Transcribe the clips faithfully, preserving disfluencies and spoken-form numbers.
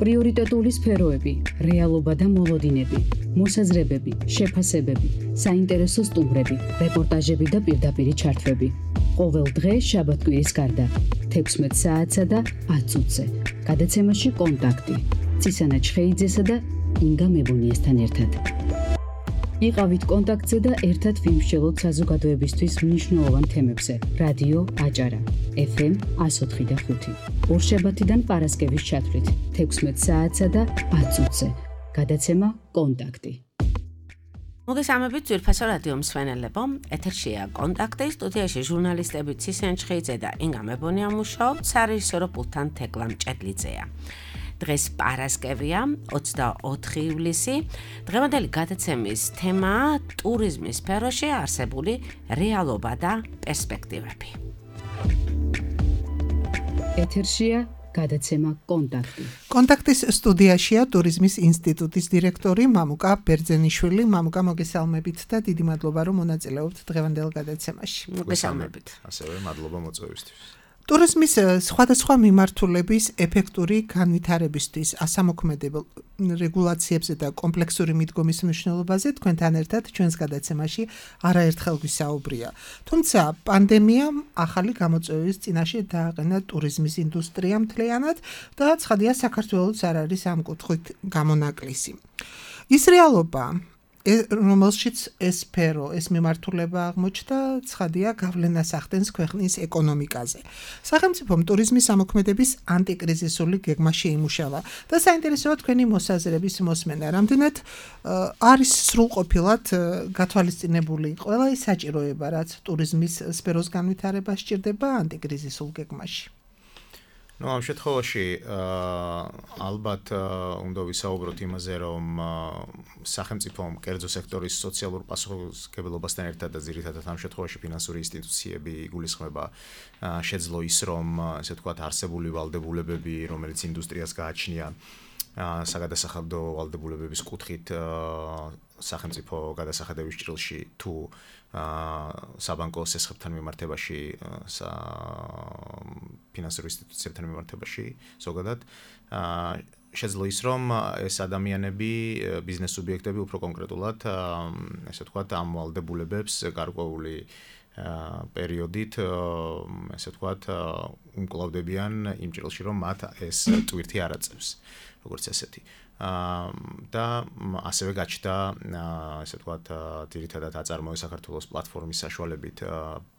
პრიორიტეტული სფეროები, რეალობა და მოლოდინები, მოსაზრებები, შეფასებები, საინტერესო სტუმრები, რეპორტაჟები და პირდაპირი ჩართვები. ყოველ დღე შაბათ-კვირის გარდა, თექვსმეტ საათსა და ათ წუთზე. გადაცემაში კონტაქტი. ცისანა ჩხეიძესა და ინგა მებონიესთან ერთად. იყავით კონტაქტზე და ერთად ვიმსჯელოთ საზოგადოებისთვის მნიშვნელოვან თემებზე. რადიო აჭარა, ეფ ემ εκατო ოთხი და ხუთი. ორშაბათიდან პარასკევის ჩათვლით, თექვსმეტ საათსა და ათ წუთზე. გადაცემა კონტაქტი. მოგესალმებით ძვირფასო რადიო მსმენელებო, ეთერშია კონტაქტი, სტუდიაში ჟურნალისტები ცისანა ჩხეიძე და ინგა მებონია მუშაობთ, სარეჟისორო პულტთან თეკლა მჭედლიძეა. დღეს პარასკევია, ოცდაოთხი ივლისი. დღევანდელი გადაცემის თემაა ტურიზმის სფეროში არსებული რეალობა და პერსპექტივები. ეთერშია გადაცემა კონტაქტი. კონტაქტის სტუდიაშია ტურიზმის ინსტიტუტის დირექტორი მამუკა ბერძენიშვილი. მამუკა, მოგესალმებით და დიდი მადლობა რომ მონაწილეობთ დღევანდელ გადაცემაში. მოგესალმებით. ასევე მადლობა მოწვევისთვის. ტურიზმის სხვადასხვა მიმართულების ეფექტური განვითარებისთვის ასამოქმედებელ რეგულაციებზე და კომპლექსური მიდგომის მნიშვნელობაზე თქვენთან ერთად ჩვენს გადაცემაში არაერთხელ გვისაუბრია. თუმცა პანდემიამ ახალი გამოწვევის წინაშე დააყენა ტურიზმის ინდუსტრია მთლიანად და ცხადია საქართველოს არ არის ამ კუთხით გამონაკლისი. ის რეალობა, რომელშიც ეს სფერო, ეს მიმართულება აღმოჩნდა, ცხადია გავლენას ახდენს ქვეყნის ეკონომიკაზე. სახელმწიფომ ტურიზმის ამოქმედების ანტიკრიზისული გეგმა შეიმუშავა და საინტერესოა თქვენი მოსაზრების მოსმენა. რამდენად არის სრულყოფილად გათვალისწინებული ყველა ის საჭიროება, რაც ტურიზმის სფეროს განვითარებას სჭირდება ანტიკრიზისულ გეგმაში? No, ამ შემთხვევაში ალბათ უნდა ვისაუბროთ იმაზე, რომ სახელმწიფომ კერძო სექტორის სოციალურ პასუხისმგებლობასთან ერთად და ძირითადად ამ შემთხვევაში ფინანსური ინსტიტუციები იგულისხმება შეძლო ის, რომ ესე ვთქვათ არსებული ვალდებულებები, რომელიც ინდუსტრიას გააჩნია საგადასახადო ვალდებულებების კუთხით სახელმწიფო გადასახადების ჭრილში თუ საბანკო სესხებთან მიმართებაში, ფინანსური ინსტიტუციებთან მიმართებაში ზოგადად შეძლო ის, რომ ეს ადამიანები, ბიზნეს სუბიექტები უფრო კონკრეტულად, ესე ვთქვათ, ამ ვალდებულებებს გარკვეული პერიოდით, ესე ვთქვათ, უმკლავდებიან იმ ჭრილში, რომ მათ ეს ტვირთი არ აწევს, როგორც ესეთი. და ასევე გაჩნდა, ესე ვთქვათ, ძირითადად აწარმოე საქართველოს პლატფორმის საშუალებით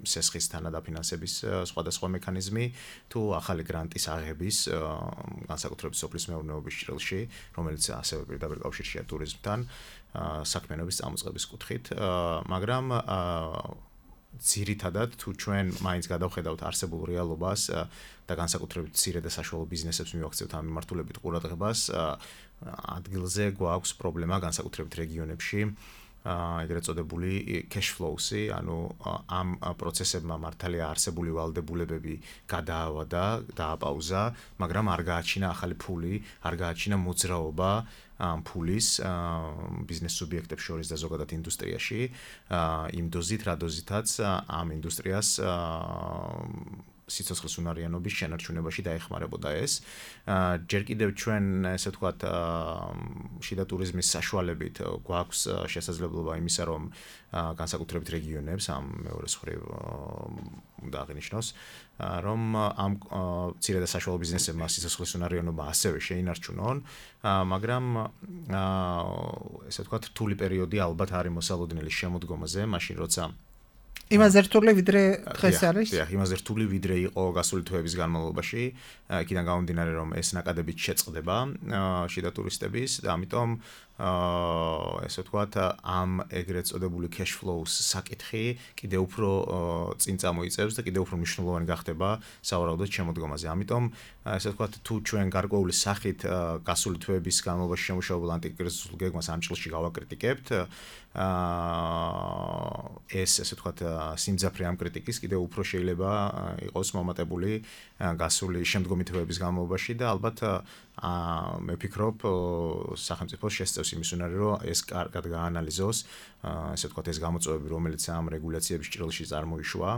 სესხის თანადაფინანსების სხვადასხვა მექანიზმი თუ ახალი გრანტის აღების განსაკუთრებით სოფლის მეურნეობის ჭრილში, რომელიც ასევე პირდაპირ კავშირშია ტურიზმთან, საქმიანობის წამოწყების კუთხით, მაგრამ ძირითადად თუ ჩვენ მაინც გადავხედავთ არსებულ რეალობას და განსაკუთრებით მცირე და საშუალო ბიზნესებს მივახცევთ ამ მიმართულებით ყურადღებას, ადგილზე გვაქვს პრობლემა განსაკუთრებით რეგიონებში, ეგრეთ წოდებული cash flows-ი, ანუ ამ პროცესებმა მართალია არსებული ვალდებულებები გადაავადა, დააპაუზა, მაგრამ არ გააჩინა ახალი ფული, არ გააჩინა მოძრაობა ამ ფულის ბიზნეს სუბიექტებს შორის და ზოგადად ინდუსტრიაში, იმ დოზით, რა დოზითაც ამ ინდუსტრიას სიცოცხლის უნარიანობის შენარჩუნებაში დაეხმარებოდა ეს. ჯერ კიდევ ჩვენ, ესე ვთქვათ, შიდა ტურიზმის საშუალებით გვაქვს შესაძლებლობა იმისა, რომ განსაკუთრებით რეგიონებს, ამ მეორეს მხრივ უნდა აღინიშნოს, რომ ამ მცირე და საშუალო ბიზნესებმა სიცოცხლის უნარიანობა ასევე შეინარჩუნონ, მაგრამ ესე ვთქვათ, რთული პერიოდი ალბათ არის მოსალოდნელი შემოდგომაზე, მაშინ როცა იმაზე რთული ვიდრე დღეს არის? დიახ, იმაზე რთული ვიდრე იყო გასული თვეების განმავლობაში, იქიდან გამომდინარე, რომ ეს ნაკადებით შეწყდება შიდა ტურისტების და ამიტომ ესე ვთქვათ, ამ ეგრეთ წოდებული cash flows საკითხი კიდევ უფრო წინ წამოიწევს და კიდევ უფრო მნიშვნელოვანი გახდება სავარაუდოდ შემოდგომაზე. ამიტომ ესე ვთქვათ, თუ ჩვენ გარკვეული სახით გასული თვეების განმავლობაში შემუშავებულ ანტიკრიზისულ გეგმას ამ ჭრილში გავაკრიტიკებთ, ეს ესე ვთქვათ, სიმძაფრე ამ კრიტიკის კიდევ უფრო შეიძლება იყოს მომატებული გასული შემდგომი თვეების განმავლობაში და ალბათ აა მე ვფიქრობ სახელმწიფოს შესწევს იმის უნარი რომ ეს კარგად გაანალიზოს ესე ვთქვათ ეს გამოწვევები რომელიც ამ რეგულაციების ჭრილში წარმოიშვა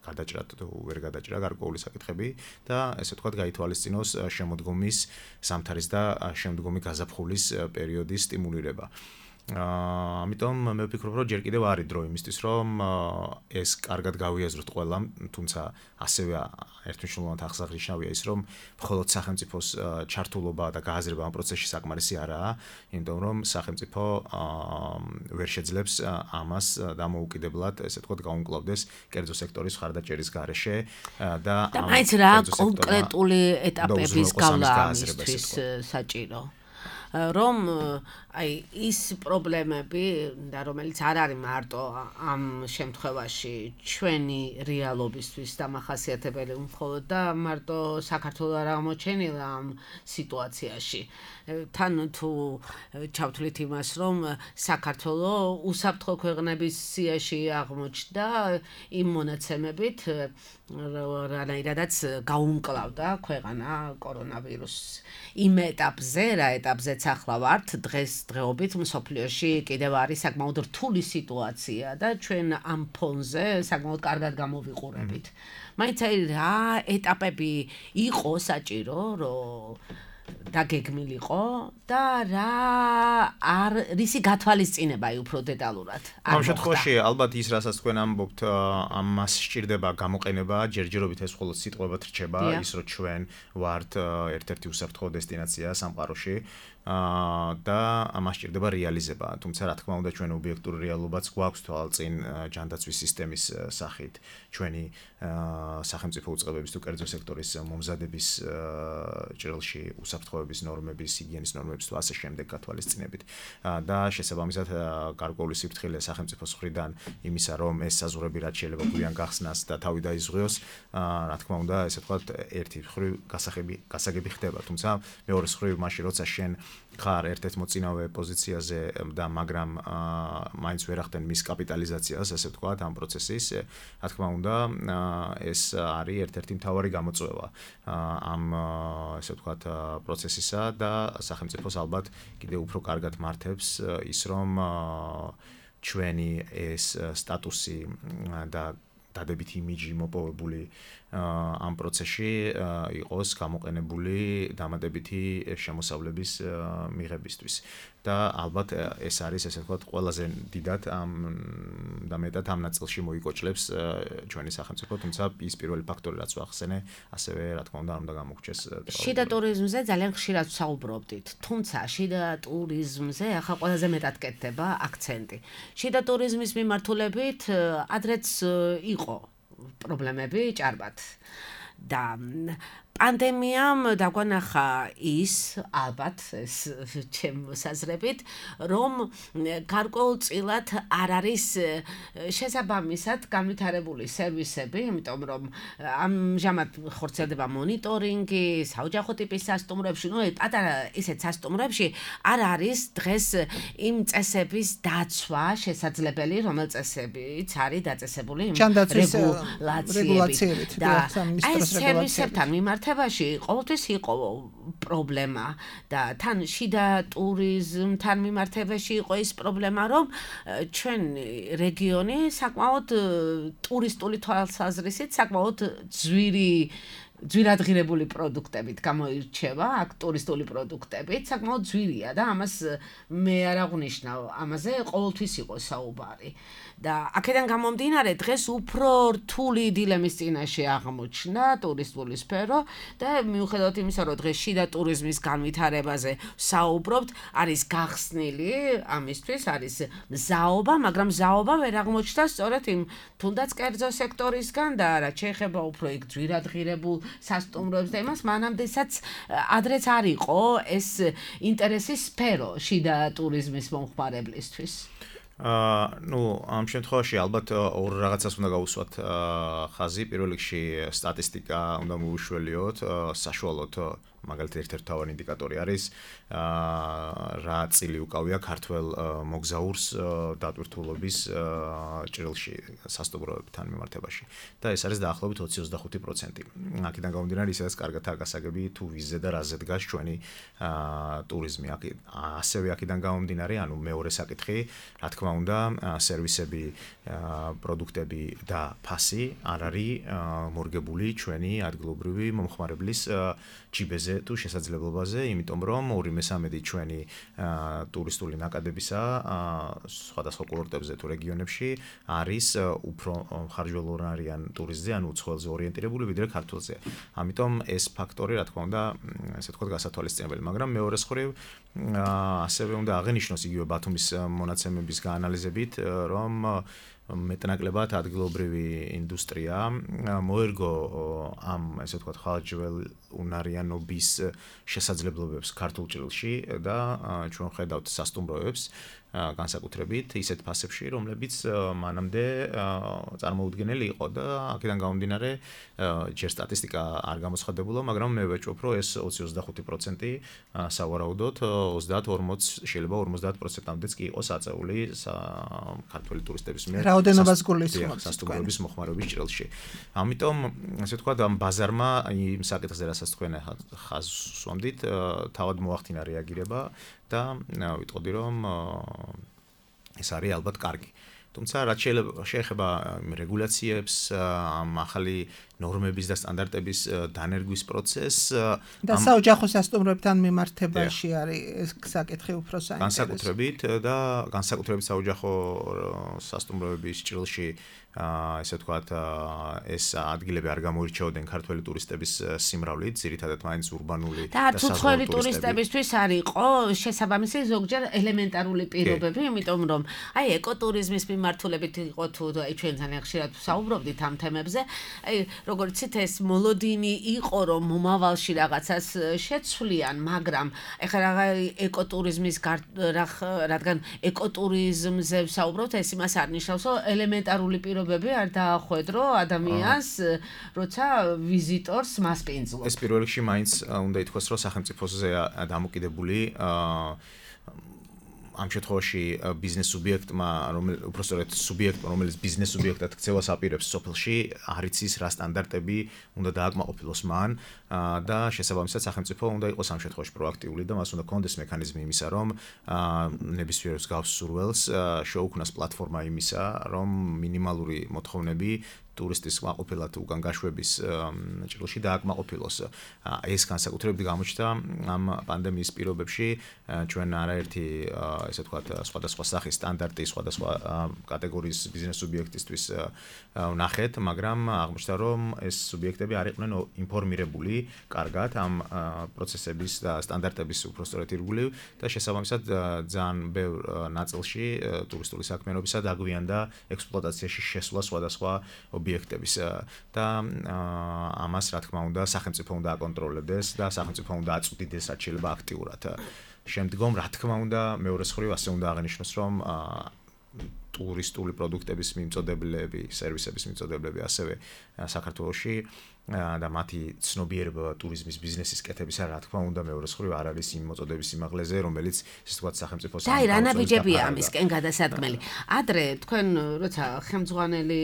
გადაჭრა თუ ვერ გადაჭრა გარკვეული საკითხები და ესე ვთქვათ გაითვალისწინოს შემოდგომის სამთარის და შემდგომი გაზაფხულის პერიოდის სტიმულირება. აა ამიტომ მე ვფიქრობ რომ ჯერ კიდევ არის დრო იმისთვის რომ ეს კარგად გავიაზროთ ყველამ თუმცა ასევე ერთმნიშვნელოვნად აღსანიშნავია ის რომ მხოლოდ სახელმწიფოს ჩართულობა და გააზრება ამ პროცესში საკმარისი არაა იმიტომ რომ სახელმწიფო ვერ შეძლებს ამას დამოუკიდებლად ესე ვთქვათ გაუმკლავდეს კერძო სექტორის ხარდაჭერის გარეშე და და მაინც რა კონკრეტული ეტაპების გავლა ამისთვის საჭირო რომ აი ის პრობლემები და რომელიც არ არის მარტო ამ შემთხვევაში ჩვენი რეალობისთვის დამახასიათებელი მხოლოდ და მარტო საქართველოს არ აღმოჩენილა ამ სიტუაციაში თან თუ ჩავთვლით იმას რომ საქართველოს უსაფრთხო ქვეყნების სიაში აღმოჩნდა იმ მონაცემებით რანაირადაც გაუმკლავდა ქვეყანა კორონავირუსს იმ ეტაპზე რა ეტაპზეც ახლა ვართ დღეს დღეობით მსოფლიოში კიდევ არის საკმაოდ რთული სიტუაცია და ჩვენ ამ ფონზე საკმაოდ კარგად გამოვიყურებით. მაინც აი რა ეტაპები იყო საჭირო რომ დაგეგმილიყო და რა არ რისი გათვალისწინება აი უფრო დეტალურად ამ შემთხვევაში ალბათ ის რასაც თქვენ ამბობთ ამას სჭირდება გამოყენება ჯერჯერობით ეს მხოლოდ სიტყვებად რჩება ის რომ ჩვენ ვართ ერთ-ერთი უსაფრთხო დესტინაცია სამყაროში და ამას სჭირდება რეალიზება თუმცა რა თქმა უნდა ჩვენ ობიექტური რეალობაც გვაქვს თვალწინ ჯანდაცვის სისტემის სახით ჩვენი სახელმწიფო უწყებების თუ კერძო სექტორის მომზადების ჭრილში უსაფრთხოების ნორმების ჰიგიენის ნორმების თუ ასე შემდეგ გათვალისწინებით და შესაბამისად გარკვეული სიფრთხილე სახელმწიფოს მხრიდან იმისა რომ ეს საზღვრები რაც შეიძლება გვიან გახსნას და თავი დაიზღვიოს რა თქმა უნდა ესე ვთქვათ ერთი მხრივ გასაღები გასაგები ხდება თუმცა მეორე მხრივ მაშინ როცა შენ ხარ ერთ-ერთ მოწინავე პოზიციაზე და მაგრამ მაინც ვერ ახდენ მის კაპიტალიზაციას ასე ვთქვათ ამ პროცესის რა თქმა უნდა ეს არის ერთ-ერთი მთავარი გამოწვევა ამ ასე ვთქვათ პროცესისა და სახელმწიფოს ალბათ კიდევ უფრო კარგად მართებს ის რომ ჩვენი ეს სტატუსი და დადებით იმიჯი მოპოვებული ამ პროცესში იყოს გამოყენებული დამატებითი შემოსავლების მიღებისთვის და ალბათ ეს არის ესე ვთქვათ ყველაზე დიდად ამ და მეტად ამ ნაწილში მოიკოჭლებს ჩვენი სახელმწიფო თუმცა ის პირველი ფაქტორი რაც ვახსენე ასევე რა თქმა უნდა უნდა გამოგჩეს შიდა ტურიზმზე ძალიან ხშირად ვსაუბრობდით თუმცა შიდა ტურიზმზე ახლა ყველაზე მეტად კეთდება აქცენტი შიდა ტურიზმის მიმართულებით ადრეც იყო პრობლემები ჭარბად და პანდემიამ დაგვანახა ის ალბათ ეს ჩემ საზრებით რომ გარკვეულწილად არ არის შესაბამისად განვითარებული სერვისები იმიტომ რომ ამჟამად ხორციელდება მონიტორინგი საოჯახო ტიპის სასტუმროებში ნუ პატარა ისეთ სასტუმროებში არ არის დღეს იმ წესების დაცვა შესაძლებელი რომელ წესებიც არის დაწესებული იმ რეგულაციებით და აი სერვისებთან მიმართ თებაში ყოველთვის იყო პრობლემა და თან შიდა ტურიზმთან მიმართებაში იყო ის პრობლემა რომ ჩვენ რეგიონი საკმაოდ ტურისტული თვალსაზრისით საკმაოდ ძვირი ძვირადღირებული პროდუქტებით გამოირჩევა აქ ტურისტული პროდუქტებით საკმაოდ ძვირია და ამას მე არ აღვნიშნავ ამაზე ყოველთვის იყო საუბარი და აქედან გამომდინარე დღეს უფრო რთული დილემის წინაშე აღმოჩნდა ტურისტული სფერო და მიუხედავად იმისა რომ დღეს შიდა ტურიზმის განვითარებაზე საუბრობთ არის გახსნილი ამისთვის არის მზაობა მაგრამ მზაობა ვერ აღმოჩნდა სწორედ იმ თუნდაც კერძო სექტორისგან და რაც შეეხება უფრო იქ ძვირადღირებულ სასტუმროებს და იმას მანამდესაც ადრეც არ იყო ეს ინტერესის სფერო შიდა ტურიზმის მომხმარებლისთვის აა ნუ ამ შემთხვევაში ალბათ ორ რაღაცას უნდა გავუსვათ ხაზი პირველ რიგში სტატისტიკა უნდა მოვუშველიოთ საშუალოდ მაგალითად ერთ-ერთი მთავარი ინდიკატორი არის რა წილი უკავია ქართველ მოგზაურს დატვირთულობის ჭრილში სასტუმროებთან მიმართებაში და ეს არის დაახლოებით ოცი ოცდახუთი პროცენტი. აქედან გამომდინარე ისაც კარგად არ გასაგები თუ ვიზზე და რაზე დგას ჩვენი ტურიზმი. ასევე აქედან გამომდინარე, ანუ მეორე საკითხი, რა თქმა უნდა, სერვისები, პროდუქტები და ფასი არ არის მორგებული ჩვენი ადგილობრივი მომხმარებლის ჯიბეზე თუ შესაძლებლობაზე, იმიტომ რომ ორი მესამედი ჩვენი ტურისტული ნაკადებისა სხვადასხვა კურორტებზე თუ რეგიონებში არის უფრო ხარჯველოვანარიან ტურისტზე, ანუ უცხოელზე ორიენტირებული ვიდრე ქართველზე. ამიტომ ეს ფაქტორი, რა თქმა უნდა, ესე ვთქვათ, გასათვალისწინებელი, მაგრამ მეორე მხრივ ასევე უნდა აღენიშნოს იგივე ბათუმის მონაცემების გაანალიზებით, რომ მეტნაკლებად ადგილობრივი ინდუსტრია მოერგო ამ ესე ვთქვათ ხალხჯველუნარიანობის შესაძლებლობებს ქართულ ჭრილში და ჩვენ ხედავთ სასტუმროებს განსაკუთრებით ისეთ ფასებში, რომლებიც მანამდე წარმოუდგენელი იყო და აქედან გამომდინარე ჯერ სტატისტიკა არ გამოცხადებულა, მაგრამ მე ვეჭვობ, რომ ეს ოცი ოცდახუთი პროცენტი სავარაუდოდ ოცდაათ ორმოც შეიძლება ორმოცდაათ პროცენტამდეც კი იყოს აწეული ქართველი ტურისტების მიერ რაოდენობას გულისხმობს სასტუმროების მოხმარების ჭრილში. ამიტომ ასე ვთქვათ, ამ ბაზარმა იმ საკითხზე, რასაც თქვენ ხაზს უსვამდით, თავად მოახდინა რეაგირება და ვიტყოდი რომ ეს არის ალბათ კარგი. თუმცა რაც შეეხება რეგულაციებს, ამ ახალი ნორმების და სტანდარტების დანერგვის პროცესს და საოჯახო სასტუმროებთან მიმართებაში არის საკითხი უფრო საინტერესო. განსაკუთრებით და განსაკუთრებით საოჯახო სასტუმროების ჭრილში ესე ვთქვათ, ეს ადგილები არ გამოირჩეოდნენ ქართველი ტურისტების სიმრავლით, ძირითადად მაინც ურბანული და უცხოელი ტურისტებისთვის არ იყო შესაბამისი ზოგჯერ ელემენტარული პირობები, იმიტომ რომ აი ეკოტურიზმის მიმართულებით იყო თუ აი ჩვენ ძალიან ხშირად საუბრობდით ამ თემებზე, აი როგორც იცით ეს მოლოდინი იყო რომ მომავალში რაღაცას შეცვლიან, მაგრამ ეხლა რა ეკოტურიზმის რადგან ეკოტურიზმზე ვსაუბრობთ, ეს იმას არ ნიშნავს, რომ ელემენტარული პირობები არ დაახვედრო ადამიანს, როცა ვიზიტორს მასპინძლობს. ეს პირველ რიგში მაინც უნდა ითქვას, რომ სახელმწიფოზე დამოკიდებული ამ შემთხვევაში ბიზნეს სუბიექტმა, რომელიც უბრალოდ სუბიექტმა, რომელიც ბიზნეს სუბიექტად ქცევას აპირებს სოფელში, არ იცის რა სტანდარტები უნდა დააკმაყოფილოს მან და შესაბამისად სახელმწიფო უნდა იყოს ამ შემთხვევაში პროაქტიული და მას უნდა კონდეს მექანიზმი იმისა, რომ ნებისმიერ მსგავს სურველს შეუქმნას პლატფორმა იმისა, რომ მინიმალური მოთხოვნები ტურისტის კმაყოფილად უკან გაშვების ჭრილში დააკმაყოფილოს. ეს განსაკუთრებით გამოჩნდა ამ პანდემიის პირობებში, ჩვენ არაერთი ესე ვთქვათ სხვადასხვა სახის სტანდარტი სხვადასხვა კატეგორიის ბიზნეს სუბიექტისთვის ვნახეთ, მაგრამ აღმოჩნდა, რომ ეს სუბიექტები არ იყვნენ ინფორმირებული კარგად ამ პროცესების და სტანდარტების უпростоრეთ ირგვლივ და შესაბამისად ძალიან ბევრ ნაწილში ტურისტული საქმიანობისა დაგვიანდა ექსპლუატაციაში შესვლა სხვადასხვა ობიექტების და ამას რა თქმა უნდა სახელმწიფო უნდა აკონტროლდეს და სახელმწიფო უნდა აწვდიდეს რაც შეიძლება აქტიურად. შემდგომ რა თქმა უნდა მეორე მხრივ ასე უნდა აღნიშნოს, რომ ტურისტული პროდუქტების მიმწოდებლები, სერვისების მიმწოდებლები ასევე საქართველოში და მათი ცნობიერება ტურიზმის ბიზნესის კეთებისა რა თქმა უნდა მეორე მხრივ არ არის იმ მოწოდების სიმაღლეზე, რომელიც ესე ვთქვათ სახელმწიფოს და რა ნაბიჯებია ამისკენ გადასადგმელი. ადრე თქვენ როცა ხელმძღვანელი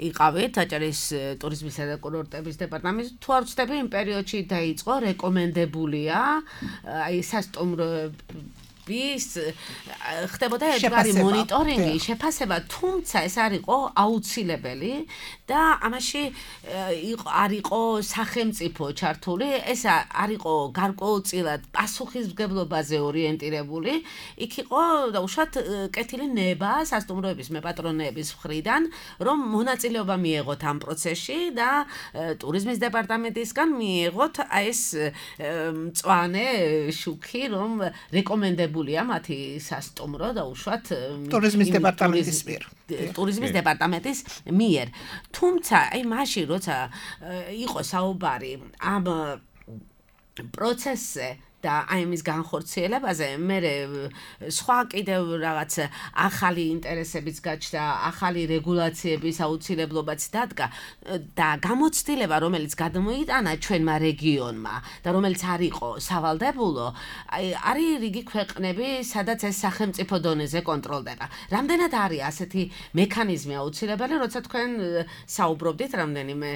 იყავით აჭარის ტურიზმისა და კურორტების დეპარტამენტში, თუ არ ვცდები იმ პერიოდში დაიწყო რეკომენდებულია აი სასტუმროების ხდებოდა ერთგვარი მონიტორინგი, შეფასება, თუმცა ეს არ იყო აუცილებელი და ამაში არ იყო სახელმწიფო ჩართული, ეს არ იყო გარკვეულწილად პასუხისმგებლობაზე ორიენტირებული, იქ იყო დაუშვათ კეთილი ნება სასტუმროების მეპატრონეების მხრიდან, რომ მონაწილეობა მიეღოთ ამ პროცესში და ტურიზმის დეპარტამენტისგან მიეღოთ აი ეს მწვანე შუქი, რომ რეკომენდებულია მათი სასტუმრო და უშუალოდ ტურიზმის დეპარტამენტის მიერ. ტურიზმის დეპარტამენტის მიერ. თუმცა, აი მაშინ როცა იყო საუბარი ამ პროცესზე და აი ამის განხორციელებაზე მე სხვა კიდევ რაღაც ახალი ინტერესებიც გაჩნდა, ახალი რეგულაციების აუცილებლობაც დადგა და გამოცდილება, რომელიც გადმოიტანა ჩვენმა რეგიონმა და რომელიც არ იყო სავალდებულო, აი არის რიგი ქვეყნები, სადაც ეს სახელმწიფო დონეზე კონტროლდება. რამდენად არის ასეთი მექანიზმი აუცილებელი, როცა თქვენ საუბრობდით რამდენიმე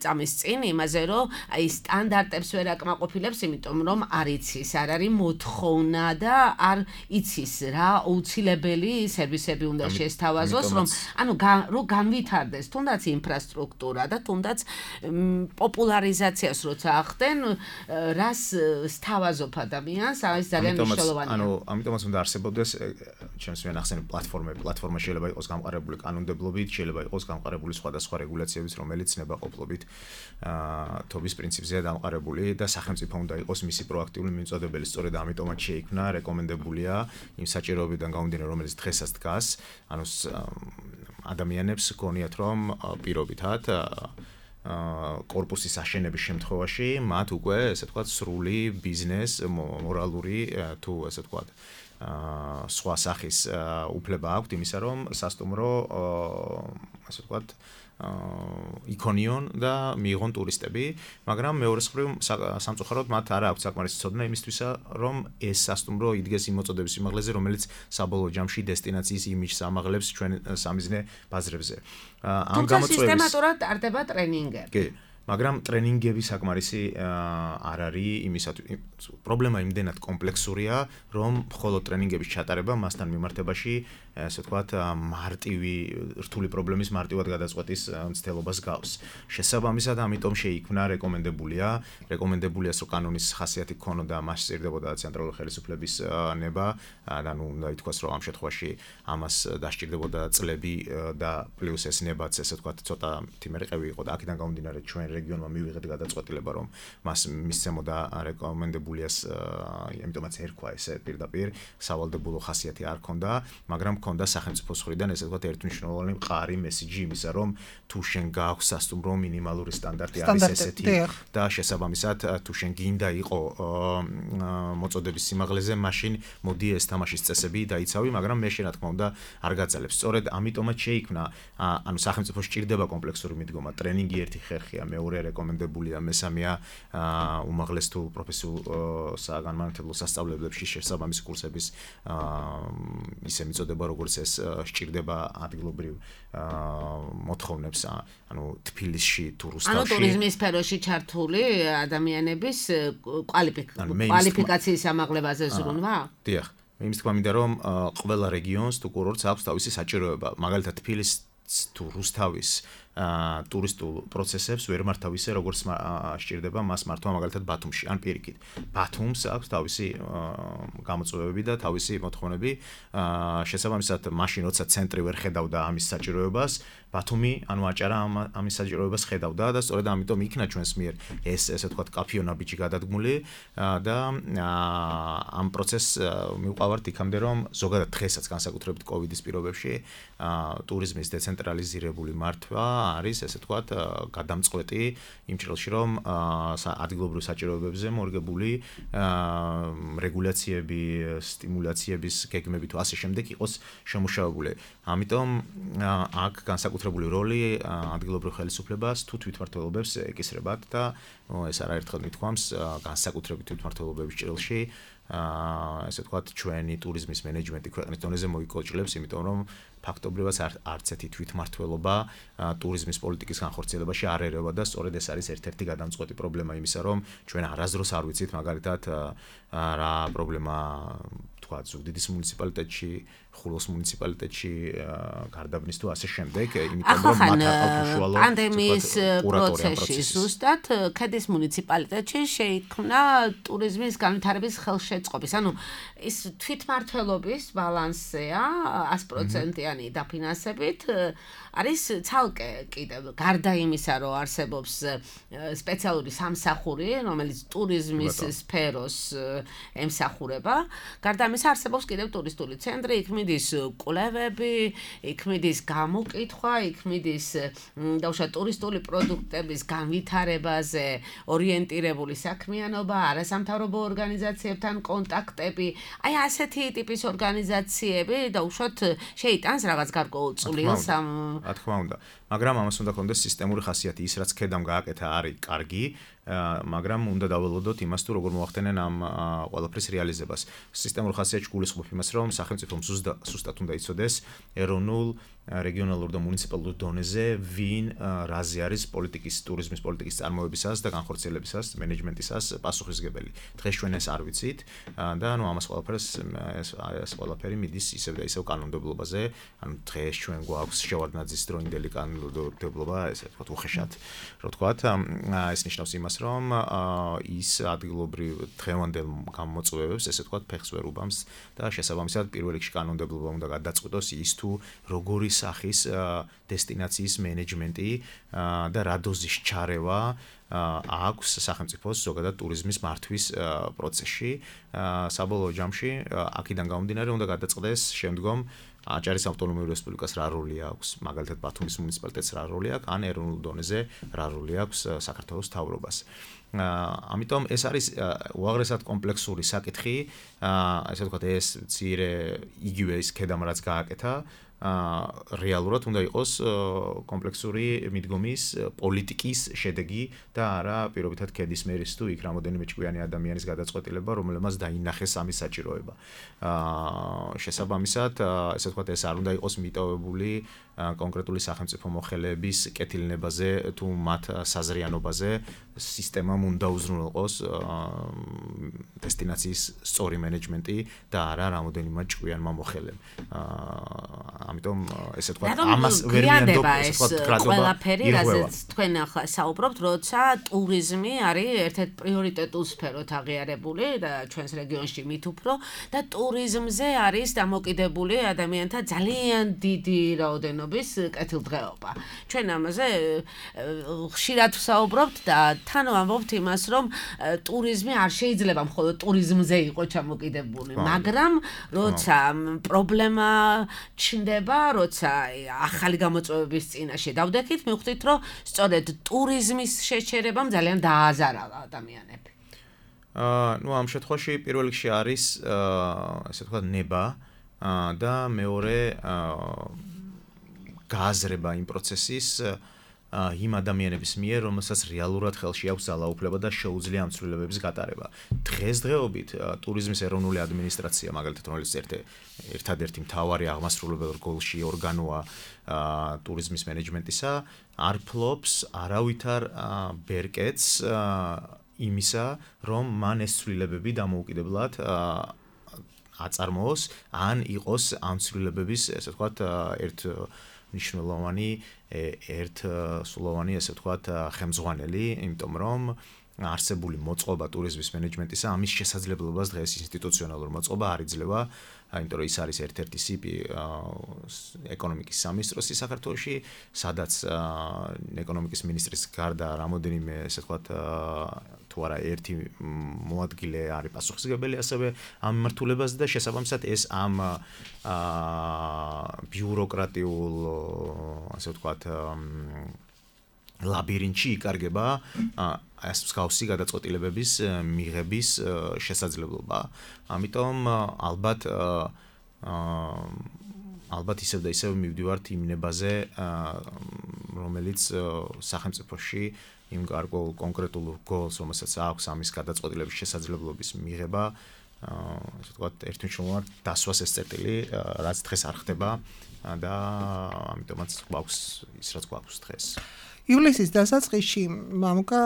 წამის წინ იმაზე, რომ აი სტანდარტებს ვერ აკმაყოფილებს, იმიტომ რომ არ იცის, არ არის მოთხოვნა და არ იცის რა აუცილებელი სერვისები უნდა შეესთავაზოს, რომ ანუ რომ განვითარდეს თუნდაც ინფრასტრუქტურა და თუნდაც პოპულარიზაციას როცა ახდენ, რას სთავაზობ ადამიანს, ეს ძალიან მნიშვნელოვანია. ანუ ამიტომაც უნდა არსებობდეს ჩემს მენახსენებ პლატფორმები, პლატფორმა შეიძლება იყოს გამყარებული კანონმდებლობით, შეიძლება იყოს გამყარებული სხვადასხვა რეგულაციების, რომელიც ნებაყოფლობით აა თობის პრინციპზეა დამყარებული და სახელმწიფო უნდა იყოს მისი პროაქტიული მიმწოდებელი. სწორედ ამიტომაც შეიქმნა რეკომენდებულია იმ საჭიროებიდან გამომდინარე, რომელიც დღესაც დგას, ანუ ადამიანებს გონიათ რომ პირობითად კორპუსის აშენების შემთხვევაში მათ უკვე ესე ვთქვათ სრული ბიზნეს, მორალური თუ ესე ვთქვათ სხვა სახის უფლება აქვთ იმისა, რომ სასტუმრო ასე ვთქვათ იქონიონ და მიიღონ ტურისტები, მაგრამ მეორე მხრივ სამწუხაროდ მათ არ აქვს საკმარისი ცოდნა იმისთვისა, რომ ეს სასტუმრო იდგეს იმ მოწოდების სიმაღლეზე, რომელიც საბოლოო ჯამში დესტინაციის იმიჯს ამაღლებს ჩვენ სამიზნე ბაზრებზე. ამ გამოწვევის სისტემატურად ტარდება ტრენინგები. კი, მაგრამ ტრენინგები საკმარისი არ არის იმისათვის. პრობლემა იმდენად კომპლექსურია, რომ მხოლოდ ტრენინგების ჩატარება მასთან მიმართებაში ასე ვთქვათ მარტივი რთული პრობლემის მარტივად გადაწყვეტის მცდელობას გავს. შესაბამისად, ამიტომ შეიქმნა რეკომენდებულია, რეკომენდებულია, რომ კანონის ხასიათი ქონოდა, მას სჭირდებოდა ცენტრალური ხელისუფლების ნება, და ნუ უნდა ითქვას, რომ ამ შემთხვევაში ამას დასჭირდებოდა წლები და პლუს ეს ნებაც ასე ვთქვათ ცოტა თიმერყევი იყო და აქედან გამომდინარე ჩვენ რეგიონმა მივიღეთ გადაწყვეტილება, რომ მას მისცემოდა რეკომენდებულიას, ამიტომაც ერქვა ესე პირდაპირ, სავალდებულო ხასიათი არ ქონდა, მაგრამ ქონდა სახელმწიფოს მხრიდან ესე ვთქვათ ერთმნიშვნელოვანი მყარი მესიჯი იმისა, რომ თუ შენ გაქვს სასტუმრო მინიმალური სტანდარტი არის ესეთი და შესაბამისად თუ შენ გინდა იყო მოწოდების სიმაღლეზე, მაშინ მოდი ეს თამაშის წესები დაიცავი, მაგრამ მე შენ რა თქმა უნდა არ გაძალებს. სწორედ ამიტომაც შეიქმნა, ანუ სახელმწიფოს სჭირდება კომპლექსური მიდგომა, ტრენინგი ერთი ხერხია, მეორე რეკომენდებულია, მესამეა უმაღლეს თუ პროფესიულ საგანმანათლებლო სასწავლებლებში შესაბამისი კურსების ისე მიწოდება, როგორც ეს სჭირდება ადგილობრივ მოთხოვნებს, ანუ თბილისში თუ რუსთავში. ანუ ტურიზმის სფეროში ჩართული ადამიანების კვალიფიკაციის ამაღლებაზე ზრუნვა? დიახ. იმის თქმა მინდა, რომ ყველა რეგიონს თუ კურორტს აქვს თავისი საჭიროება. მაგალითად თბილისს თუ რუსთავის ტურისტულ პროცესებს ვერ მართავ ისე, როგორც სჭირდება მას მართვა მაგალითად ბათუმში, ან პირიქით. ბათუმს აქვს თავისი გამოწვევები და თავისი მოთხოვნები. შესაბამისად, მაშინ როცა ცენტრი ვერ ხედავდა ამის საჭიროებას, ბათუმი ანუ აჭარა ამის საჭიროებას ხედავდა და სწორედ ამიტომ იქნა ჩვენს მიერ ეს ესე ვთქვათ კაფეონა ბიჭი გადადგმული და ამ პროცესს მივყავართ იქამდე, რომ ზოგადად დღესაც განსაკუთრებით კოვიდის პირობებში ტურიზმის დეცენტრალიზირებული მართვა არის ესე ვთქვათ გადამწყვეტი იმ ჭრილში, რომ ადგილობრივ საჭიროებებზე მორგებული რეგულაციები, სტიმულაციების გეგმები თუ ასე შემდეგ იყოს შემუშავებული. ამიტომ აქ განსაკუთრებული როლი ადგილობრივ ხელისუფლებას თუ თვითმმართველობებს ეკისრებათ და ეს არაერთხელ მithქვამს განსაკუთრებით თვითმმართველობების ჭრილში ესე ვთქვათ ჩვენი ტურიზმის მენეჯმენტი ქვეყნის დონეზე მოიკოჭლებს, იმიტომ რომ ფაქტობრივად არც ერთი თვითმმართველობა ტურიზმის პოლიტიკის განხორციელებაში არ ერევა და სწორედ ეს არის ერთ-ერთი გადამწყვეტი პრობლემა იმისა, რომ ჩვენ არასდროს არ ვიცით მაგალითად რა პრობლემა თქვა ზუგდიდის მუნიციპალიტეტში, ხულოს მუნიციპალიტეტში, გარდაბნის თუ ასე შემდეგ, იმიტომ რომ მათ აყავთ უშუალო პანდემიის პროცესში ზუსტად ქედის მუნიციპალიტეტში შეიქმნა ტურიზმის განვითარების ხელშეწყობის, ანუ ის თვითმმართველობის ბალანსია ას პროცენტიანი დაფინანსებით არის ცალკე კიდევ გარდა იმისა, რომ არსებობს სპეციალური სამსახური, რომელიც ტურიზმის სფეროს ემსახურება, გარდა ამისა ამის არსებობს კიდევ ტურისტული ცენტრი, იქ მიდის კვლევები, იქ მიდის გამოკითხვა, იქ მიდის დაუშვათ ტურისტული პროდუქტების განვითარებაზე ორიენტირებული საქმიანობა, არასამთავრობო ორგანიზაციებთან კონტაქტები, აი ასეთი ტიპის ორგანიზაციები დაუშვათ შეიტანს რაღაც გარკვეულწულს ამ რა თქმა უნდა, მაგრამ ამას უნდა ქონდეს სისტემური ხასიათი, ის რაც ქედამ გააკეთა არის კარგი, მაგრამ უნდა დაველოდოთ იმას თუ როგორ მოახდენენ ამ ყველაფრის რეალიზებას. სისტემურ ხასიათში გულისხმობ იმას, რომ სახელმწიფომ სუსტად უნდა იცოდეს ეროვნულ, რეგიონალურ და მუნიციპალურ დონეზე ვინ რაზე არის პოლიტიკის, ტურიზმის პოლიტიკის წარმოებისას და განხორციელებისას, მენეჯმენტისას პასუხისმგებელი. დღეს ჩვენ ეს არ ვიცით და ანუ ამას ყველაფერს ეს ყველაფერი მიდის ისევ და ისევ კანონმდებლობაზე. ანუ დღეს ჩვენ გვაქვს შევარდნაძის დროინდელი კანონმდებლობა, ესე ვთქვათ, უხეშად, რო ვთქვათ, ეს ნიშნავს იმას, რომ ის ადგილობრივ დღევანდელ გამოწვევებს, ესე ვთქვათ, ფეხს ვერ უბამს და შესაბამისად პირველ რიგში კანონმდებლობა უნდა გადაწყვიტოს ის თუ როგორი სახის დესტინაციის მენეჯმენტი და რა დოზის ჩარევა აქვს სახელმწიფოს ზოგადად ტურიზმის მართვის პროცესში. საბოლოო ჯამში აქედან გამომდინარე უნდა გადაწყდეს შემდგომ აჭარის ავტონომიური რესპუბლიკას რა როლი აქვს, მაგალითად ბათუმის მუნიციპალიტეტს რა როლი აქვს, ან ეროვნულ დონეზე რა როლი აქვს საქართველოს მთავრობას. ამიტომ ეს არის უაღრესად კომპლექსური საკითხი, ესე ვთქვათ, ეს მცირე იგივე ის ქედამ რაც გააკეთა, რეალურად უნდა იყოს კომპლექსური მიდგომის პოლიტიკის შედეგი და არა პირობითად ქედის მერის თუ იქ რამოდენიმე ჭკვიანი ადამიანის გადაწყვეტილება, რომელმაც დაინახეს ამის საჭიროება. შესაბამისად, ესე ვთქვათ, ეს არ უნდა იყოს მიტოვებული კონკრეტული სახელმწიფო მოხელეების კეთილნებაზე თუ მათ საზრიანობაზე, სისტემამ უნდა უზრუნველყოს დესტინაციის სწორი მენეჯმენტი და არა რამოდენიმე ჭკვიანმა მოხელემ. ამიტომ ესე ვთქვათ, ამას ვერ მიანდობ, ესე ვთქვათ, კრატობა ყველაფერი, რაზეც თქვენ ახლა საუბრობთ, როცა ტურიზმი არის ერთ-ერთ პრიორიტეტულ სფეროთ აღიარებული და ჩვენს რეგიონში მით უფრო და ტურიზმზე არის დამოკიდებული ადამიანთა ძალიან დიდი რაოდენობის კეთილდღეობა. ჩვენ ამაზე ხშირად ვსაუბრობთ და თან ვამბობთ იმას, რომ ტურიზმი არ შეიძლება მხოლოდ ტურიზმზე იყოს ჩამოკიდებული, მაგრამ როცა პრობლემა ჩნდება, როცა ახალი გამოწვევების წინაშე დავდექით, მივხვდით, რომ სწორედ ტურიზმის შეჩერებამ ძალიან დააზარა ადამიანები. აა, ну, ამ შემთხვევაში პირველ რიგში არის, ესე ვთქვათ, ნება და მეორე გააზრება იმ პროცესის იმ ადამიანების მიერ, რომელსაც რეალურად ხელში აქვს ძალაუფლება და შეუძლია ამ ცვლილებების გატარება. დღესდღეობით ტურიზმის ეროვნული ადმინისტრაცია, მაგალითად, რომელიც ერთადერთი მთავარი აღმასრულებელი რგოლში ორგანოა ტურიზმის მენეჯმენტისა, არ ფლობს არავითარ ბერკეტს იმისა, რომ მან ეს ცვლილებები დამოუკიდებლად აწარმოოს, ან იყოს ამ ცვლილებების, ესე ვთქვათ, ერთ ნიშნულოვანი ერთ სულოვანი, ესე ვთქვათ, ხელმძღვანელი, იმიტომ რომ არსებული მოწყობა ტურიზმის მენეჯმენტისა ამის შესაძლებლობას დღეს ინსტიტუციონალურ მოწყობა არ იძლევა, იმიტომ რომ ის არის ერთ-ერთი სიპი ეკონომიკის სამინისტროსი საქართველოში, სადაც ეკონომიკის მინისტრის გარდა რამოდენიმე, ესე ვთქვათ, თუ არა ერთი მოადგილე არის პასუხისმგებელი ასევე ამ მიმართულებაზე და შესაბამისად ეს ამ ბიუროკრატიულ, ასე ვთქვათ, ლაბირინთში იკარგება ეს მსგავსი გადაწყვეტილებების მიღების შესაძლებლობა. ამიტომ ალბათ ალბათ ისევ და ისევ მივდივართ იმ ნებაზე, რომელიც სახელმწიფოში იმ გარკვეულ კონკრეტულ გოლს, რომელსაც აქვს ამის გადაწყვეტილების შესაძლებლობის მიღება, ასე ვთქვათ, ერთმნიშვნელოვნად დასვას ეს წერტილი, რაც დღეს არ ხდება და ამიტომაც გვაქვს ის, რაც გვაქვს დღეს. ივლისის დასაწყისში მამუკა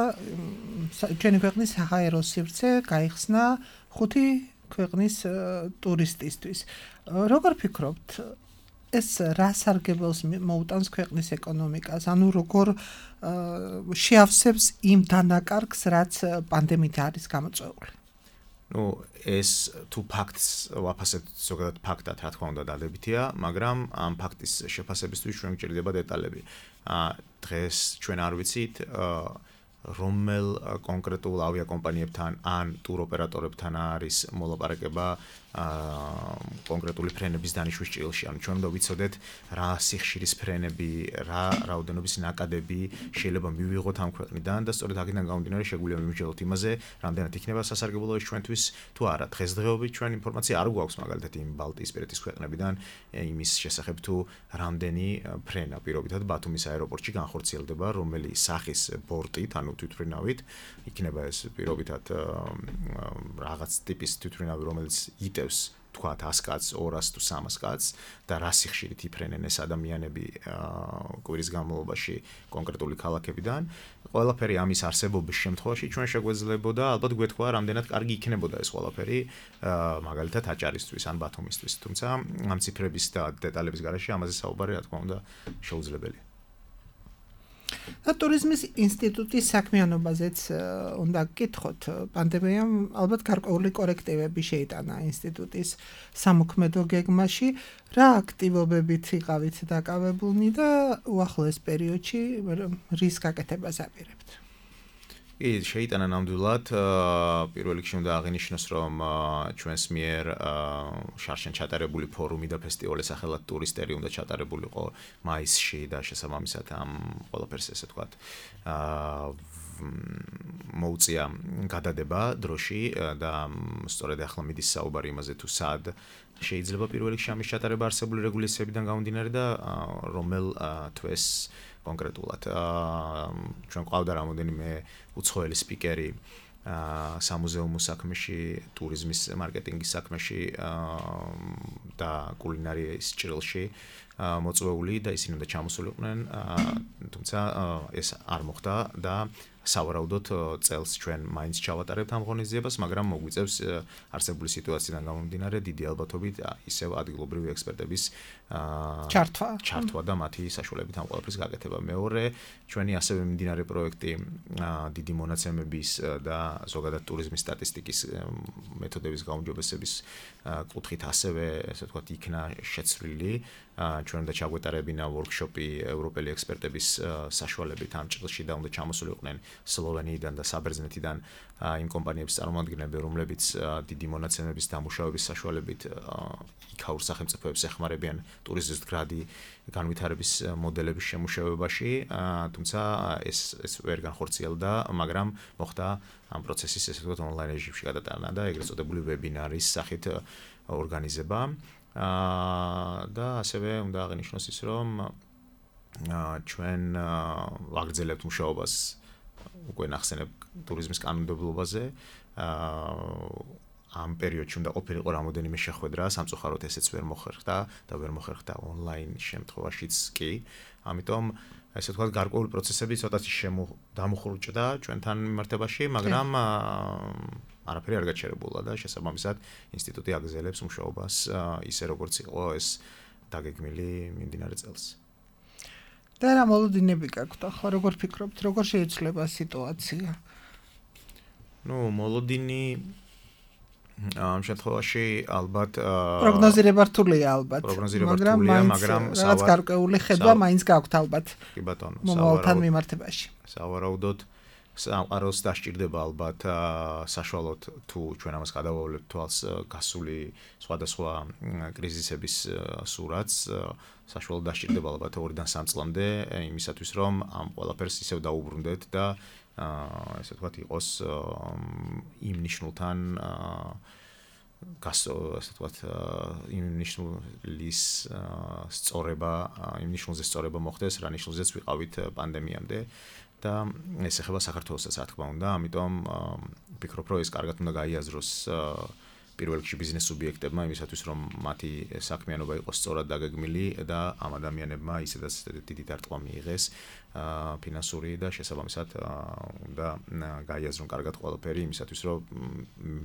ჩვენი ქვეყნის საჰაერო სივრცე გაიხსნა ხუთი ქვეყნის ტურისტისთვის. როგორ ფიქრობთ, ეს რა სარგებელს მოუტანს ქვეყნის ეკონომიკას, ანუ როგორ შეავსებს იმ დანაკარგს, რაც პანდემიით არის გამოწვეული? ну, ეს თუ ფაქტს ვაფასებთ ზოგადად ფაქტად, რა თქმა უნდა, დადებითია, მაგრამ ამ ფაქტის შეფასებისთვის ჩვენ გვჭირდება დეტალები. დღეს ჩვენ არ ვიცით, რომელ კონკრეტულ ავიაკომპანიებთან ან ტუროპერატორებთან არის მოლაპარაკება კონკრეტული ფრენების დანიშვნის ჭრილში. ანუ ჩვენ უნდა ვიცოდეთ რა სიხშირის ფრენები, რა რაოდენობის ნაკადები შეიძლება მივიღოთ ამ ქვეყნიდან და სწორედ აქედან გამომდინარე შეგვიძლია მივმჯელოთ იმაზე, რამდენად იქნება სასარგებლო ეს ჩვენთვის თუ არა. დღესდღეობით ჩვენ ინფორმაცია არ გვაქვს მაგალითად იმ ბალტიისპირეთის ქვეყნებიდან იმის შესახებ თუ რამდენი ფრენა პირობითად ბათუმის აეროპორტში განხორციელდება, რომელი სახის ბორტით, ანუ თვითმფრინავით, იქნება ეს პირობითად რაღაც ტიპის თვითმფრინავი, რომელიც იტევს თქვათ ას კაცს, ორას თუ სამას კაცს და რა სიხშირით იფრენენ ეს ადამიანები კვირის განმავლობაში კონკრეტული ქალაქებიდან. ყველაფერი ამის არსებობის შემთხვევაში ჩვენ შეგვეძლებოდა ალბათ გვეთქვა რამდენად კარგი იქნებოდა ეს ყველაფერი მაგალითად აჭარისთვის ან ბათუმისთვის. თუმცა ამ ციფრების და დეტალების გარშე ამაზე საუბარი რა თქმა უნდა შეუძლებელია. და ტურიზმის ინსტიტუტის საქმიანობაზეც უნდა გკითხოთ. პანდემიამ ალბათ გარკვეული კორექტივები შეიტანა ინსტიტუტის სამოქმედო გეგმაში. რა აქტივობებით იყავით დაკავებულნი და უახლოეს პერიოდში რის გაკეთებას აპირებთ? კი, შეიტანა ნამდვილად. პირველ რიგში უნდა აღინიშნოს, რომ ჩვენს მიერ შარშან ჩატარებული ფორუმი და ფესტივალი სახელად ტურისტერი უნდა ჩატარებულიყო მაისში და შესაბამისად ამ ყველაფერს ესე ვთქვათ მოუწია გადადება დროში და სწორედ ახლა მიდის საუბარი იმაზე თუ სად შეიძლება პირველ რიგში ამის ჩატარება არსებული რეგულაციებიდან გამომდინარე და რომელ თვეს კონკრეტულად ჩვენ ყავდა რამოდენიმე უცხოელი სპიკერი სამუზეუმო საქმეში, ტურიზმის მარკეტინგის საქმეში და კულინარიის ჭრილში მოწვეული და ისინი უნდა ჩამოსულიყვნენ, თუმცა ეს არ მოხდა და სავარაუდოდ წელს ჩვენ მაინც ჩავატარებთ ამ ღონისძიებას, მაგრამ მოგვიწევს არსებული სიტუაციიდან გამომდინარე დიდი ალბათობით ისევ ადგილობრივი ექსპერტების ჩართვა ჩართვა და მათი საშუალებით ამ ყველაფრის გაკეთება. მეორე, ჩვენი ასევე მიმდინარე პროექტი დიდი მონაცემების და ზოგადად ტურიზმის სტატისტიკის მეთოდების გაუმჯობესების კუთხით ასევე, ესე ვთქვათ, იქნა შეცვლილი. ჩვენ უნდა ჩაგვეტარებინა ვორქშოპი ევროპელი ექსპერტების საშუალებით ამ ჭრილში და უნდა ჩამოსულიყვნენ სლოვენიიდან და საბერძნეთიდან იმ კომპანიების წარმომადგენლები, რომლებიც დიდი მონაცემების დამუშავების საშუალებით იქაურ სახელმწიფოებს ეხმარებიან ტურიზმის მდგრადი განვითარების მოდელების შემუშავებაში, თუმცა ეს ეს ვერ განხორციელდა, მაგრამ მოხდა ამ პროცესის ესე ვთქვათ ონლაინ რეჟიმში გადატანა და ეგრეთ წოდებული ვებინარის სახით ორგანიზება. და ასევე უნდა აღინიშნოს ის, რომ ჩვენ ვაგრძელებთ მუშაობას უკვე ნახსენებ ტურიზმის კანონმდებლობაზე. ამ პერიოდში უნდა ყოფილიყო რამოდენიმე შეხვედრა, სამწუხაროდ ესეც ვერ მოხერხდა და ვერ მოხერხდა ონლაინ შემთხვევაშიც კი. ამიტომ ესე ვთქვათ, გარკვეული პროცესები ცოტათი დამუხრუჭდა ჩვენთან მიმართებაში, მაგრამ არაფერი არ გაჩერებულა და შესაბამისად ინსტიტუტი აგრძელებს მუშაობას ისე როგორც იყო ეს დაგეგმილი მიმდინარე წელს. და რა მოლოდინები გაქვთ ახლა, როგორ ფიქრობთ, როგორ შეიცვლება სიტუაცია? ნუ მოლოდინი ამ შემთხვევაში ალბათ პროგნოზირება რთულია ალბათ, მაგრამ მაგრამ რაღაც გარკვეული ხედვა მაინც გაქვთ ალბათ. კი ბატონო, მომავალთან მიმართებაში. სავარაუდოდ სამყაროს დასჭირდება ალბათ საშუალოდ თუ ჩვენ ამას გადავავლებთ თვალს გასული სხვადასხვა კრიზისების სურათს, საშუალოდ დასჭირდება ალბათ ორიდან სამ წლამდე იმისათვის რომ ამ ყველაფერს ისევ დაუბრუნდეთ და ესე ვთქვათ იყოს იმ ნიშნულთან გასო ასე ვთქვათ იმ ნიშნულის სწორება, იმ ნიშნულზე სწორება მოხდეს, რა ნიშნულზეც ვიყავით პანდემიამდე. და ეს ეხება საქართველოსაც რა თქმა უნდა, ამიტომ ვფიქრობ, რომ ეს კარგად უნდა გაიაზროს პირველ რიგში ბიზნეს სუბიექტებმა იმისათვის, რომ მათი საქმიანობა იყოს სწორად დაგეგმილი და ამ ადამიანებმა ისედაც დიდი დარტყმა მიიღეს ფინანსური და შესაბამისად უნდა გაიაზრონ კარგად ყველაფერი იმისათვის, რომ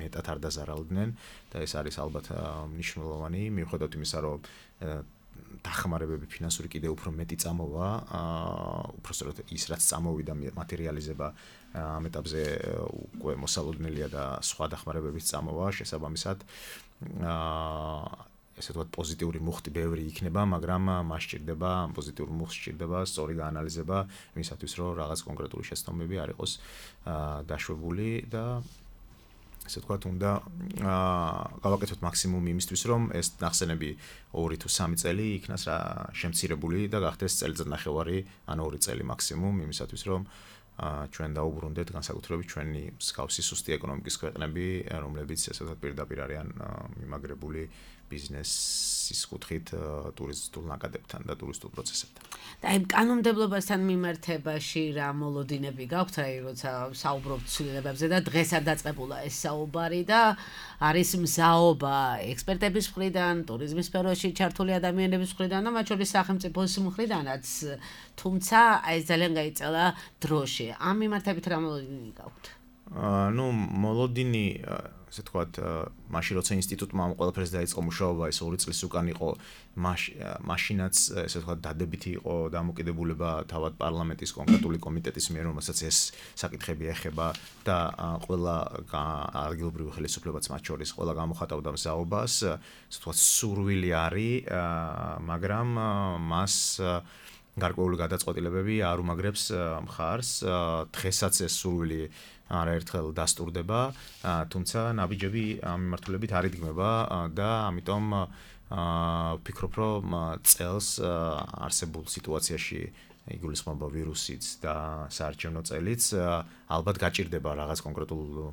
მეტად არ დაზარალდნენ და ეს არის ალბათ მნიშვნელოვანი, მიუხედავად იმისა, რომ დახმარებები ფინანსური კიდე უფრო მეტი წამოვა, უფრო სწორად ის რაც წამოვიდა მატერიალიზება ამ ეტაპზე უკვე მოსალოდნელია და სხვა დახმარებების წამოვა შესაბამისად ესე ვთქვათ პოზიტიური მუხტი ბევრი იქნება, მაგრამ მას სჭირდება პოზიტიური მუხტს სჭირდება სწორი გაანალიზება იმისათვის, რომ რაღაც კონკრეტული შეცდომები არ იყოს დაშვებული და ესე ვთქვათ, უნდა გავაკეთოთ მაქსიმუმი იმისთვის, რომ ეს ნახსენები ორი თუ სამი წელი იქნას რა შემცირებული და გახდეს წელიწად ნახევარი, ან ორი წელი მაქსიმუმ იმისათვის, რომ ჩვენ დაუბრუნდეთ განსაკუთრებით ჩვენი მსგავსი სუსტი ეკონომიკის ქვეყნები, რომლებიც ესე ვთქვათ პირდაპირ არიან მიმაგრებული ბიზნესის კუთხით ტურისტულ ნაკადებთან და ტურისტულ პროცესებთან. და აი კანონმდებლობასთან მიმართებაში რა მოლოდინები გაქვთ, აი როცა საუბრობთ ცვლილებებზე და დღესაც დაწყებულა ეს საუბარი და არის მზაობა ექსპერტების მხრიდან, ტურიზმის სფეროში ჩართული ადამიანების მხრიდან და მათ შორის სახელმწიფოს მხრიდანაც, თუმცა აი ძალიან გაიწელა დროში. ამ მიმართებით რა მოლოდინი გაქვთ? ну მოლოდინი ესე ვთქვათ, მაშინ როცა ინსტიტუტმა ამ ყველაფერს დაიწყო მუშაობა, ეს ორი წლის უკან იყო, მაშინაც ესე ვთქვათ, დადებითი იყო დამოკიდებულება თავად პარლამენტის კონკრეტული კომიტეტის მიერ, რომელსაც ეს საკითხები ეხება და ყველა ადგილობრივი ხელისუფლებაც მათ შორის ყველა გამოხატავდა მზაობას, ესე ვთქვათ, სურვილი არის, მაგრამ მას გარკვეული გადაწყვეტილებები არ უმაგრებს მხარს, დღესაც ეს სურვილი არაერთხელ დასტურდება, თუმცა ნაბიჯები ამ მიმართულებით არ იდგმება და ამიტომ ვფიქრობ, რომ წელს არსებულ სიტუაციაში იგულისხმება ვირუსიც და საარჩევნო წელიც ალბათ გაჭირდება რაღაც კონკრეტულ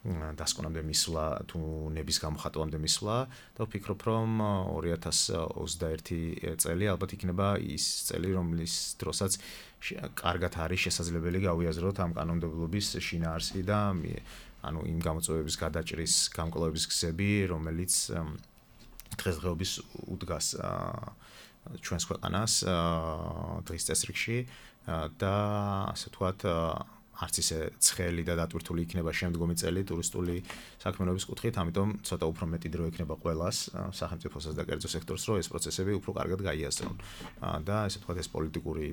დასკვნამდე მისვლა თუ ნების გამოხატვამდე მისვლა და ვფიქრობ, რომ ორი ათას ოცდაერთი წელი ალბათ იქნება ის წელი, რომლის დროსაც კარგად არის შესაძლებელი გავიაზროთ ამ კანონმდებლობის შინაარსი და ანუ იმ გამოწვევების გადაჭრის გამკლავების გზები, რომელიც დღესდღეობის უდგას ჩვენს ქვეყანას დღის წესრიგში და ასე ვთქვათ არც ისე ცხელი და დატვირთული იქნება შემდგომი წელი ტურისტული საქმიანობის კუთხით, ამიტომ ცოტა უფრო მეტი დრო იქნება ყველას, სახელმწიფოსაც და კერძო სექტორს, რომ ეს პროცესები უფრო კარგად გაიაზრონ. და ესე ვთქვათ, ეს პოლიტიკური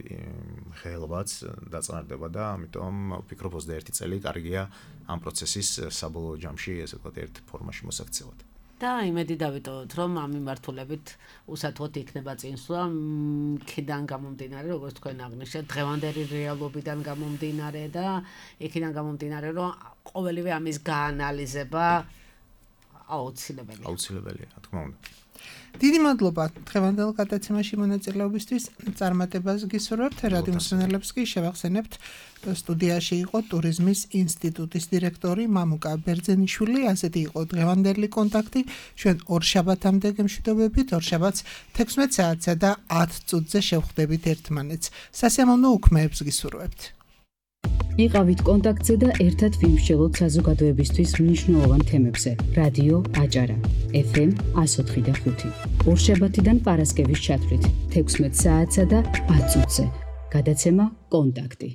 ხელობაც დაწყნარდება და ამიტომ ვფიქრობ ოცდაერთი წელი კარგია ამ პროცესის საბოლოო ჯამში, ესე ვთქვათ, ერთ ფორმაში მოსაქცევად. და იმედი დავიტოვოთ, რომ ამ მიმართულებით უსათოდ იქნება წინსვლა, იქიდან გამომდინარე, როგორც თქვენ აღნიშნეთ, დღევანდელი რეალობიდან გამომდინარე და იქიდან გამომდინარე, რომ ყოველივე ამის გაანალიზება აუცილებელია. აუცილებელია, რა თქმა უნდა. დიდი მადლობა დღევანდელ გადაცემაში მონაწილეობისთვის. წარმატებას გისურვებთ. რადიო მსმენელებს კი შევახსენებთ, სტუდიაში იყო ტურიზმის ინსტიტუტის დირექტორი მამუკა ბერძენიშვილი. ასეთი იყო დღევანდელი კონტაქტი. ჩვენ ორშაბათამდე გემშვიდობებით, ორშაბათს თექვსმეტ საათსა და ათ წუთზე შევხვდებით ერთმანეთს. სასიამოვნო უქმეებს გისურვებთ. იყავით კონტაქტზე და ერთად ვიმსჯელოთ საზოგადოებისთვის მნიშვნელოვან თემებზე. რადიო აჭარა ეფ ემ εκατო ოთხი და ხუთი. ორშაბათიდან პარასკევის ჩათვლით თექვსმეტ საათსა და ათ წუთზე. გადაცემა კონტაქტი.